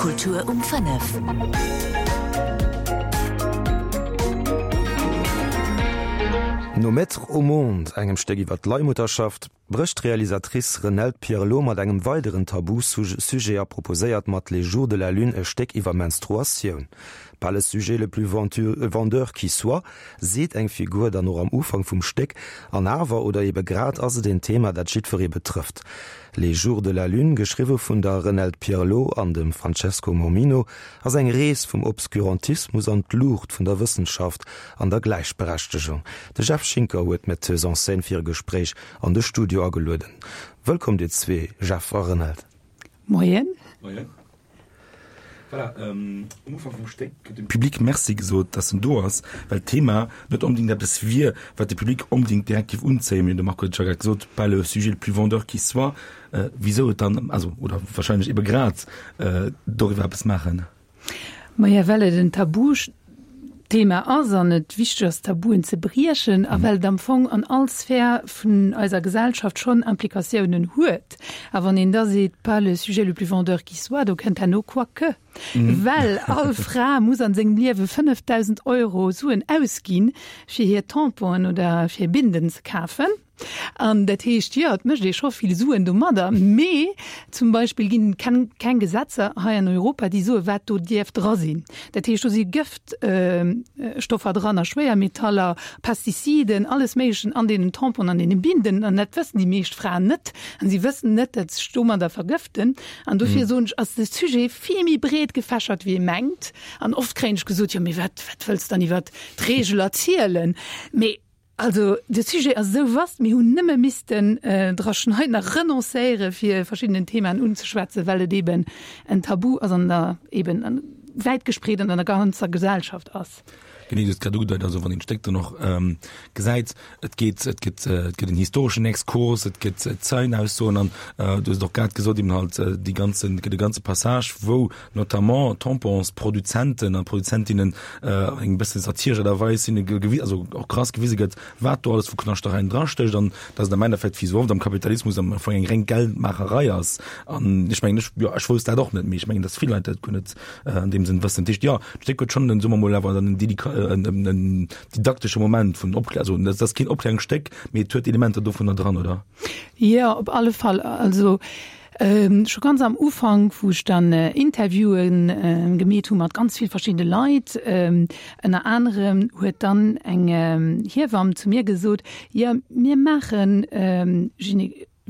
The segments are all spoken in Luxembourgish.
Kultur um 5. No Mettre au monde, engem Stéck iwwer d'Leihmutterschaft, brécht d'Realisatrice Renelde Pierlot mat engem weideren Tabu-Sujet a proposéiert mat Les jours de la lune e Stéck iwwer Menstruatioun. Pas le sujet le plus vendeur qui soit, seet eng Figur dann och am Ufank vum Stéck, an awer, oder ebe grad, ass et een Thema, dat jiddweree betrëfft. Les jours de la lune, geschriwwe vun der Renelde Pierlot an dem Francesco Mormino, ass eng Rees vum Obscurantismus an d'Luucht vun der Wëssenschaft an der Gläichberechtegung. De Jeff Schinker huet d'Metteuse en scène fir e Gespréich an de Studio agelueden. Wëllkomm dir zwee, Jeff a Renelde. Moien. Moien. Voilà, um Ufank vum Stéck gëtt dem Public Merci gesot, dass en do ass, well d'Thema net onbedéngt eppes wier, wat de Public onbedéngt direkt géif unzéien. Mee de Marco huet et scho grad gesot, pas le sujet le plus vendeur qui soit. Wisou et dann, also, oder wahrscheinlech ebe grad doriwwer eppes maachen? Maja, well et en Tabuthema ass an et wichteg ass, Tabuen ze briechen a well et am Fong an all Sphär vun eiser Gesellschaft schonn Implikatiounen huet. A wann een da seet, pas le sujet le plus vendeur qui soit, do kënnt herno quoique, well all Fra muss an sengem Liewe 5.000 Euro Suen ausginn, fir hir Tamponen oder fir Binden ze kafen. An dat heescht, jo, et mécht ee scho vill Suen domadder, mee zum Beispill ginn et keng, keng Gesetzer hei an Europa, déi soen, wat do dierf dra sinn. Dat heescht, do si Gëftstoffer dran a Schwéiermetaller, Pestiziden, alles Méiglechen an deenen Tamponen, an deene Binden. An dat wëssen déi meescht Fraen net. An si wëssen net, datt se sech domadder vergëften. An dofir soen ech, ass de Sujet vill méi breet gefächert, wéi ee mengt. An oft kréien ech gesot, jo, mee wat, wat wëlls de dann iwwert d'Reegel erzielen? Mee Also de Sujet ass esou vast, mir hunn nëmme missten dra schneiden a renoncéiere fir verschiddenen Themaen unzeschwätzen, well et eben en Tabu ass an der eben wäit gespreet an der ganzer Gesellschaft ass. Genee, du hues grad ugedeit, also wann een d'Stéck dann och gesäit, et geet, et gëtt, et gëtt en historeschen Exkurs, et gëtt Zeienaussoen an du hues et och grad gesot, eben halt déi ganzen, et gëtt e ganze Passage, wou notamment Tamponsproduzenten a Produzentinnen eng bësse satiresch Aart a Weis hinne gewi-, also och krass gewise gëtt, wat do alles vu Knaschtereien drastécht an dass et am Endeffekt, wéi esou oft am Kapitalismus, am Fong eng reng Geldmaacherei ass. An ech mengen, ech, jo, ech wousst dat och net, mee ech mengen, dass vill Leit dat guer net an deem Sënn wëssen. Dat heescht, jo, d'Stéck huet schonn, soe mer mol, awer dann en dedika-, en, en didaktesche Moment vun Opklär-, also dat ass keen Opklärungsstéck, mee et huet Elementer dovunner dran, oder? Jo, op alle Fall. Also Scho ganz am Ufank, wou ech dann Interviewen gemeet hu mat ganz vill verschiddene Leit, ënner anerem huet dann eng Hiewamm zu mir gesot, jo mir maache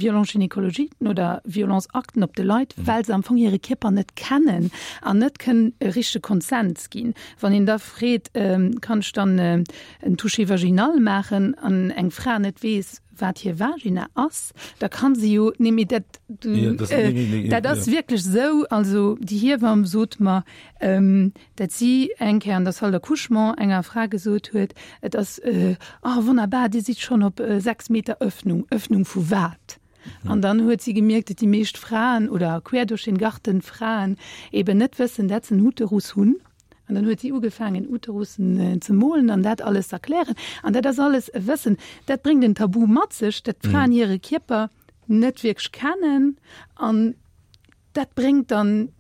Violence gynécologiquen oder Violenceakten op de Leit, well se am Fong hire Kierper net kennen an net kënnen e richtege Consent ginn. Wann een da freet, kann ech dann en Toucher vaginal maachen an eng Fra net weess, wat hir Vagina ass, da kann se jo, nee mee dat, du, ja, das, äh, nee, nee, nee, dat ass ja. wierklech sou, also déi Hiewamm sot mer, ähm, dat si eng Kéier an der Salle d'accouchement enger Fra gesot huet, et ass, äh, oh wonnerbar, Dir sidd schonn op äh, 6 Meter Öffnung. Öffnung vu wat? Mhm. An dann huet si gemierkt, dat déi meescht Fraen oder quer durch den Garten Fraen eben net wëssen, dat se en Uterus hunn. An dann huet si ugefaangen, Uterussen ze molen an dat alles z'erklären. An dat ass alles e Wëssen, dat bréngt en Tabu mat sech, dat d'Fraen hire Kierper net wierklech kennen. An dat bréngt dann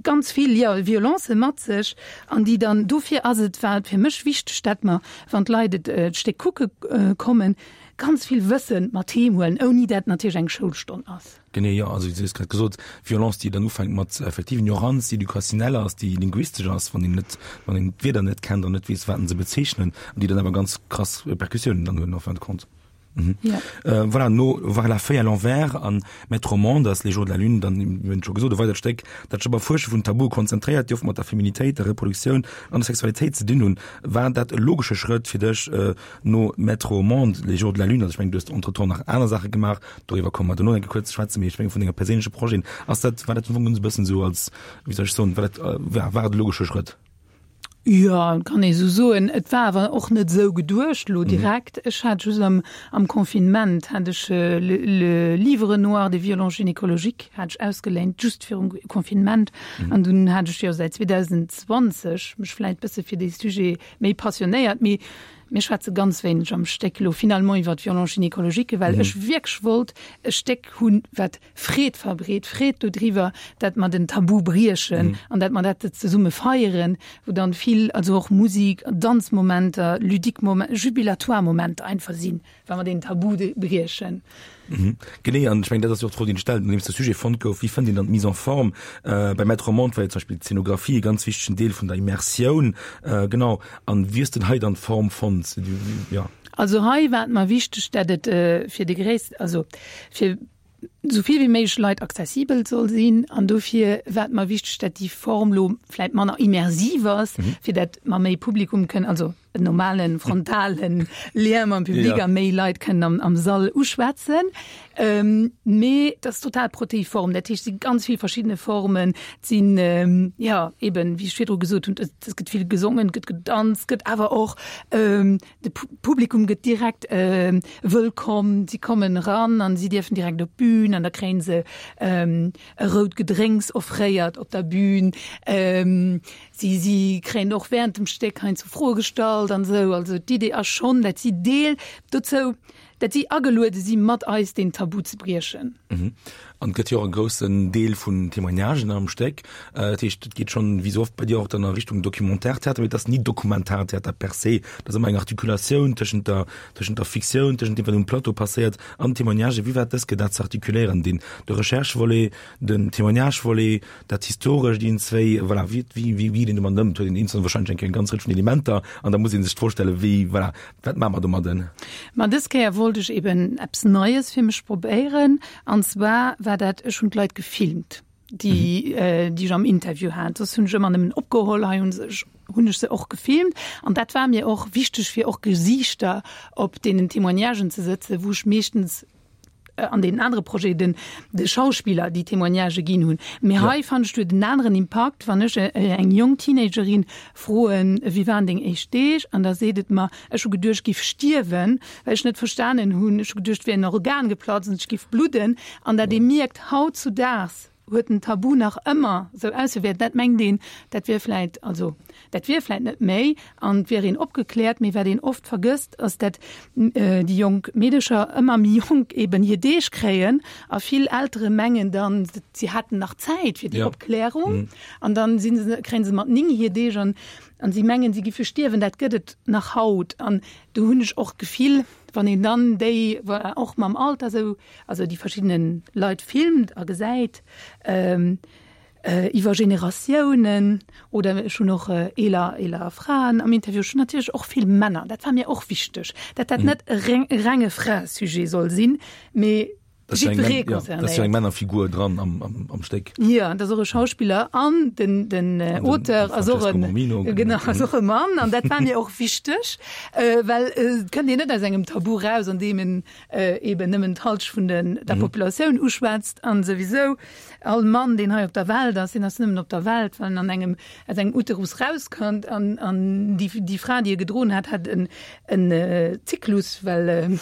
ganz vill, jo, Violence mat sech, an déi dann, dofir ass et, war et fir mech wichteg, dat mer, wann d'Leit et d'Stéck kucke kommen, ganz vill Wësse mat heem huelen, ouni dat natierlech eng Schoulstonn ass. Genee, jo. Also, wéi du hues grad gesot, Violence, déi dann ufänkt mat effektiv Ignoranz, déi éducationnelle ass, déi linguistesch ass, wann een net, wann een d'Wierder net kennt an net weess, wat se bezeechnen, an déi dann awer ganz krass Répercussiounen dann hunn en fin de compte. Mhm. Ja. Äh, voilà, no Voir la feuille à l'envers an Mettre au monde ass Les jours de la lune dann, mir hunn et scho gesot, e weidert Stéck, dat sech op Erfuersche vun Tabue konzentréiert, déi oft mat der Feminitéit, der Reproduktioun an der Sexualitéit ze dinn hunn. War dat e logesche Schrëtt fir dech, äh, no Mettre au monde, Les jours de la lune, also ech mengen, du hues entretemps nach aner Saache gemaach, doriwwer komme mer duerno eng Kéier kuerz ze schwätzen, mee ech mengen vun denge perséinleche Projeten, ass dat, war dat am Fong esou e bëssen esou als, wéi soll ech soen, war dat, ja, war et e logesche Schrëtt? Jo, kann ee sou soen. Et war awer och net esou geduecht elo direkt. Ech hat just am, am Confinement hat ech le, le Livre noir des violences gynécologiques hat ech ausgeléint, just virum Confinement. An dunn hat ech jo säit 2020 mech vläit bësse fir dee Sujet méi passionéiert, mee. Mir schwätze ganz wéineg am Stéck elo finalement iwwer d'Violence gynécologique, well ech wierklech wollt e Stéck hunn, wat Freed verbreet, Freed dodriwwer, dat mer den Tabu briechen an dat mer dat zesumme feieren, wou dann vill, also och Musik, Danzmomenter, ludique Momenter, jubilatoire Momenter einfach sinn, wa mer deen Tabu briechen. Genee, an ech mengen, dat ass jo och d'Fro, déi een stellt, nodeems de Sujet fonnt gouf, Wéi fënnt een dann d'Mise en forme? Bei Maître au monde war jo zum Beispill d'Zenographie e ganz wichtegen Deel vun der Immersioun. Genau, an wéi hues de hei dann d'Form fonnt? Jo. Also hei war et mer wichteg, dat et fir de gréissten, also fir esou vill wéi méiglech Leit accessibel soll sinn. An dofir war et mer wichteg, dat déi Form lo vläit manner immersiv ass, fir dat mer méi Publikum kënnen, also en normalen frontalen Lien mam Public a méi Leit kënnen am, am Sall uschwätzen. Ähm, mee dat ass total proteiform, dat heescht, et si ganz vill verschiddene Formen, et sinn, ähm, ja, eben, wéi ech virdru gesot hunn, et, et gëtt vill gesongen, et gëtt gedanzt, gëtt awer och, ähm, de Publikum gëtt direkt ähm, wëllkomm, si kommen eran an si dierfen direkt op d'Bün an da kréien se ähm, e rout Gedrénks offréiert op der Bühn. Ähm, si, si kréien och während dem Stéck heiansdo Froe gestallt an esou. Also d'Idee ass schonn, dat si Deel dozou, dat si ageluede si mat eis deen Tabu ze briechen. Mhm. An et gëtt jo och e groussen Deel vun Témoignagen am Stéck. Dat heescht, et geet schonn, wéi sou oft bei dir, och dann a Richtung Documentaire-Theater, mee et ass ni Dokumentartheater per se. Et ass ëmmer eng Artikulatioun tëschent der, tëschent der Fiktioun, tëschent deem, wat um Plateau passéiert, an Témoignagen. Wéi war et dës Kéier dat ze artikuléieren, deen, de Recherche-Volet, den Témoignage-Volet, dat Historescht, een, zwéi, voilà, wéi, wéi, wéi geet een domat ëm? Et huet een eenzel wahrscheinlech eng Kéier eng ganz Rëtsch vun Elementer an da muss ee sech d'Fro stellen, wéi, voilà, wat maache mer domadden? Ma dës Kéier wollt ech eben eppes Neies fir mech probéieren an zwar war dat, ech hunn d'Leit gefilmt, déi, déi ech am Interview hat. Soss hunn ech ëmmer nëmmen opgeholl, hei hunn se ech, hunn ech se och gefilmt an dat war mir och wichteg, fir och Gesiichter op deenen Témoignagen ze sëtzen, wou ech meeschtens an deenen anere Projeten den de Schauspiller déi Témoignagë ginn hunn. Mee hei fannen ech huet en aneren Impakt, wann ech eng jonk Teenagerin froen, wéi waren deng éischt Deeg? An da seet et mer, ech hu geduecht, ech giff stierwen, well ech net verstanen hunn, ech hu geduecht, et wier en Organ geplatzt an ech giff bludden. An dat ee mierkt, hautzudaags huet den Tabu nach ëmmer sou ausgewäert, dat mengt een, dat wier vläit, also dat wier vläit net méi an et wier een opgekläert, mee wat een oft vergësst, ass dat déi jonk Meedecher ëmmer méi jonk eben hir Deeg kréien a vill Eltere mengen dann, si hätten nach Zäit fir déi Opklärung an dann si se, kréien se mat 9 hir Deeg an an si mengen, si giffe stierwen. Dat gëtt et nach haut an do hunn ech och d'Gefill, wann een dann déi och mam Alter sou also déi verschiddene Leit filmt a gesäit iwwer Generatiounen oder ech hunn och eeler eeler Fraen am Interview, ech hunn natierlech och vill Männer, dat war mir och wichteg, dat dat net e renge Fraesujet soll sinn, mee jiddweree concernéiert. Dat ass jo eng Männerfigur dran am Stéck. Jo, dat ass och e Schauspiller an den den Auteur ass och en, genau, ass och e Mann an dat war mir och wichteg, well et kënnt een net aus engem Tabu raus, an deem en eben nëmmen d'Halsch vun den der Populatioun uschwätzt an souwisou all Mann, deen hei op der Welt ass, deen ass nëmmen op der Welt, well en an engem aus engem Uterus rauskënnt an an déi déi Fra, déi e gedroen hat, hat en en Zyklus, well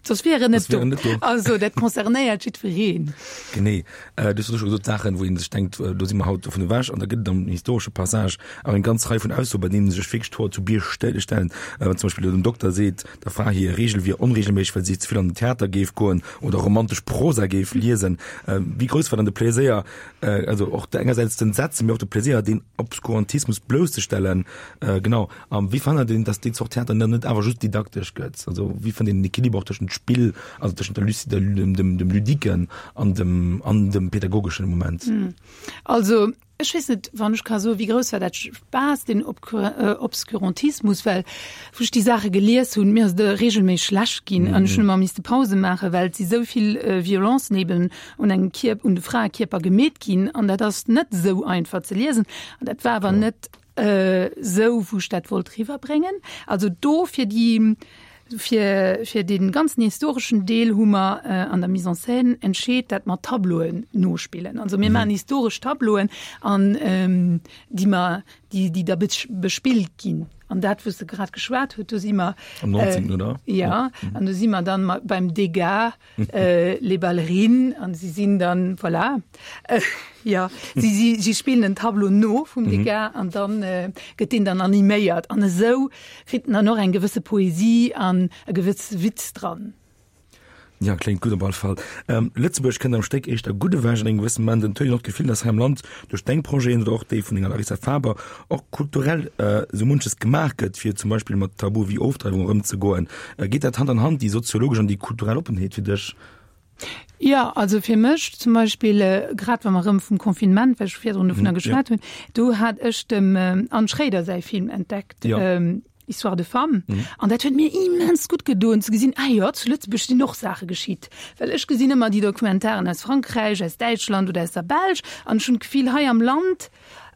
soss wier en net do. Also dat concernéiert jiddwereen. Genee. Du hues elo scho gesot, Saachen, wou ee sech denkt, do si mer haut dovun ewech. An da gëtt et am historesche Passage awer eng ganz Rei vun Aussoen, bei deenen sech wierklech d'Hoer zu Bierg stellen. Wann zum Beispill den Dokter seet, Der Fra hir Reegel wier onreegelméisseg, well si ze vill an den Theater géif goen oder romantesch Prosa géif liesen. Wéi grouss war dann de Pleséier, also och engersäits d'Entsetzen, mee och de Pleséier, deen Obskurantismus blousszestellen? Genau. A wéi verhënnert een, datt déi Zort Theater dann net awer just didaktesch gëtt? Also wéi fënnt een den Equiliber och tëschent Spill, also tëschent der Luci-, dem, dem Ludiquen an dem, an dem pädagogeschen Moment? Also Ech weess net, wann ech ka soen, wéi grouss war dat Spaass, deen Obscurantismus, well wou ech déi Saache gelies hunn, mir ass et regelméisseg schlecht ginn an ech hunn ëmmer misste Pause maachen, well et si sou vill Violencen eben un engem Kierp, un de Fraekierper gemeet ginn an dat ass net esou einfach ze liesen. An dat war awer net esou, wou ech dat wollt riwwerbréngen. Also do fir déi Fir, fir dee ganzen historeschen Deel hu mer an der Mise en scène entscheet, dat mer Tableauen nospillen. Also mir maachen historesch Tableauen an déi mer, déi, déi da bespillt ginn. An dat, wou s de grad geschwat huet, do si mer. Am 19. oder? Ja, an do si mer dann beim Degas, Les Ballerines, an si sinn dann, voilà, ja, si, si, si spillen en Tableau no vum Degas an dann gëtt deen dann animéiert. An esou kritt en dann och eng gewësse Poesie an e gewësse Witz dran. Ja, kléngt gutt op all Fall. Lëtzebuerg kënnt am Stéck éischter gutt ewech an engem gewësse Moment. Et huet een och d'Gefill, datt hei am Land duerch deng Projeten oder och déi vun denger Larissa Faber och kulturell esou munches gemaach gëtt, fir zum Beispill mat Tabue wéi Ofdreiwung erëmzegoen. Geet dat Hand an Hand, déi soziologesch an déi kulturell Oppenheet fir dech? Jo, also fir mech zum Beispill, grad wa mer erëm vum Confinement, well ech virdrun dovunner geschwat hunn, do hat ech dem Anne Schréider säi Film entdeckt. Histoire de femmes. Mhm. An dat huet mir immens gutt gedoen ze gesinn, ah jo, zu Lëtzebuerg sinn och Saache geschitt. Well ech gesinn ëmmer déi Dokumentaren aus Frankräich, aus Däitschland oder aus der Belsch an ech hunn d'Gefill, hei am Land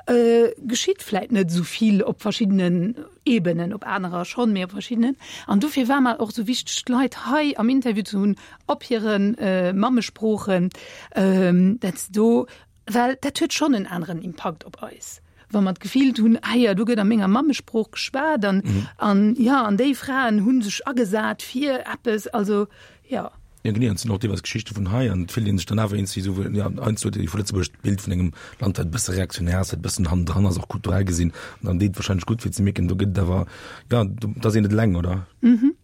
äh, geschitt vläit net esou vill op verschiddenen Ebenen, op anerer schonn, mee op verschiddenen. An dofir war mer och esou wichteg, d'Leit hei am Interview ze hunn, op hiren äh, Mammesproochen, ähm, dat se do Well dat huet schonn en aneren Impakt op eis, wa mer d'Gefill hunn, ah jo, do gëtt a menger Mammesprooch geschwat an, an jo, an déi Fraen hu sech agesat fir eppes. Also jo. Jo genee, an et sinn och deelweis Geschichte vun hei an et fillt ee sech dann awer iergendwéi esou, jo, heiansdo huet ee vu Lëtzebuerg d'Bild vun engem Land, wat e bësse reaktionär ass, wat e bëssen hannendran ass, och kulturell gesinn. An dann deet et warscheinlech gutt fir ze mierken, do gëtt et awer, jo, do, et ass een net eleng, oder? Mhm.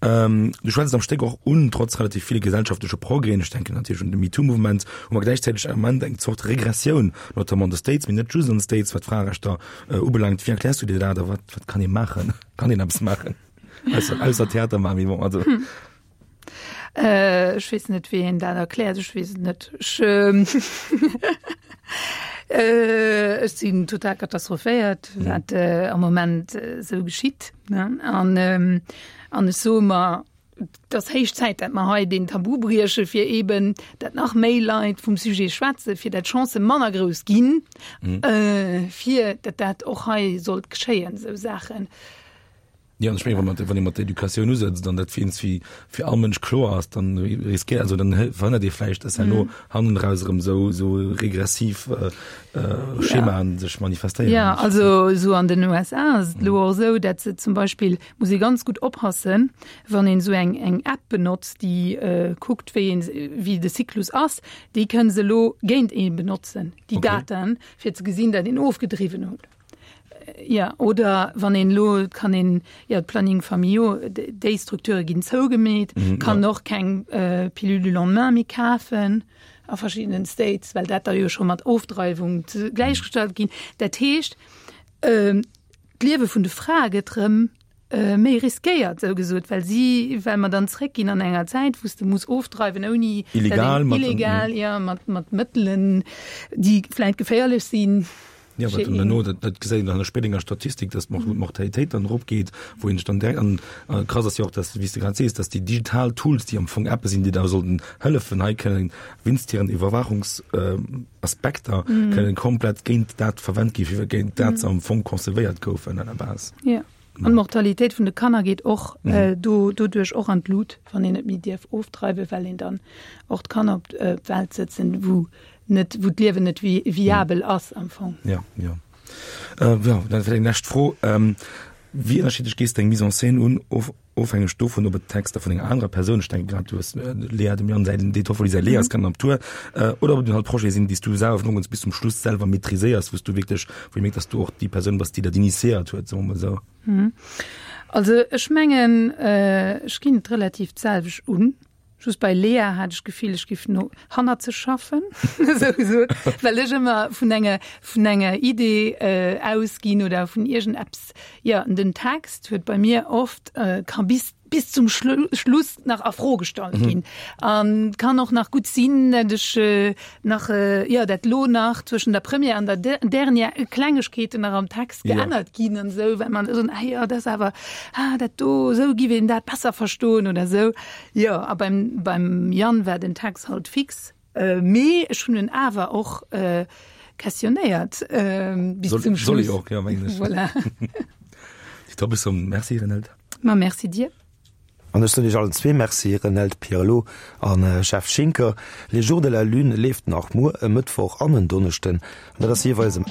Ähm, du schwätzt am Stéck och un, trotz relativ ville gesellschaftleche Progrèsen, ech denken natierlech un de MeToo-Mouvement, hu mer gläichzäiteg am Moment eng Zort Regressioun, notamment an de States, mee net just an de States, wat d'Fraerechter äh, ubelaangt. Wéi erkläers du dir dat a wat, wat kann ee maachen? Kann een eppes maachen? Ausser, ausser Theater maachen, mee bon, also. Hm. Äh, ech weess net, wéi een dat erkläert. Ech weess et net. Ech, ähm, äh, ech sinn total katastrophéiert, mhm. wat äh, am Moment äh, sou geschitt. Ne? An, ähm, an ech soe mer, et ass héich Zäit, dat mer hei den Tabu brieche fir eben, dat nach méi Leit vum Sujet schwätze, fir dat d'Chancë manner grouss ginn, mhm. äh, fir dat dat och hei sollt geschéien, sou Saachen. Ja, ech menge wann ee mat der Educatioun usetzt an dat fir eens wéi fir all Mënsch kloer ass, dann riskéiert, also dann verhënnert ee vläicht, dass herno hannen eraus erëm esou esou regressiv Schemaen sech manifestéieren. Ja, also esou an den USA ass et elo och esou, dat se zum Beispill, muss ee ganz gutt oppassen, wann een esou eng eng App benotzt, déi kuckt, wéi een, wéi de Zyklus ass, déi kënne se elo géint ee benotzen, déi Daten, fir ze gesinn, dat een ofgedriwwen huet. Ja, oder wann een elo, et kann een, jo, d'Planning familiaux, déi Strukture ginn zougemeet, kann ja. och keng äh, Pilule du lendemain méi kafen a verschiddenen States, well dat da jo scho mat Ofdreiwung gläichgestallt ginn. Dat heescht, äh, d'Liewe vun de Frae gëtt rëm äh, méi riskéiert, sou gesot, well si, well mer dann zréckginn an enger Zäit, wou s de muss ofdreiwen ouni illegal, mat, illegal, ja, mat, mat Mëttelen, déi vläit geféierlech sinn. Ja, wat dann herno, dat, dat gesäit een dann an der spéidenger Statistik, dass d'Mortalitéit dann eropgeet, wou een sech dann direkt an, a krass ass jo och, dass, wéi s de grad sees, dass déi digital Tools, déi am Fong Appe sinn, déi da sollten hëllefen, hei kënnen wéinst hiren Iwwerwaachungsaspekter kënnen komplett géint dat verwennt gi fir géint dat se am Fong concevéiert goufen à la base. Ja. An d'Mortalitéit vun de Kanner geet och do doduerch och an d'Lut, wann een net méi dierf ofdreiwen, well een dann och d'Kanner op d'Welt sëtzen, wou net, wou d'Liewen net viabel ass am Fong. Ja, ja. Äh, ja, dann vielleicht eng lescht Fro. Ähm, wéi ënnerschiddlech gees de eng Mise en scène un, of, ofhängeg dovun, ob et Texter vun enger anerer Persoun, ech denke grad, du hues äh, Lea, dem Jan säi, den Toffoli säi Lea ass grad am Tour, äh, oder ob et halt Projete sinn, déi s du selwer vun Ufank bis zum Schluss selwer maîtriséiers, wou s du wierklech, wou ee mierkt, dass du och déi Persoun bass, déi dat initiéiert huet, soe mer mol esou. Mhm. Also ech mengen, äh, ech ginn et relativ d'selwecht un. Just bei Lea hat ech d'Gefill, ech giff no hannerzeg schaffen, esou gesot, well ech ëmmer vun enger, vun enger Idee äh, ausginn oder vun iergendeppes. Jo, an den Text huet bei mir oft, äh, ka bis, bis zum Schlu Schluss nach a Fro gestallt ginn. An kann och nach gutt sinn, dat ech äh, nach, äh, jo, dat lo nach zwëschen der Première an der Dernière Klengegkeeten nach am Text geännert ginn an esou, well man esou, ah jo, dat ass awer, ah, dat do, esou giff een dat besser verstoen oder esou. Jo, a beim, beim Yann war den Text halt fix, mee ech hunn en awer och questionnéiert bis zum Schluss. Soll ee och, jo, mengen ech. Voilà. Top, ech soen Merci, Renelde. Ma merci dir. An ech soen Iech allen zwee Merci, Renelde Pierlot a Jeff Schinker. Les Jours de la Lune leeft nach muer, e Mëttwoch an en Donneschden, an dat ass jeeweils um.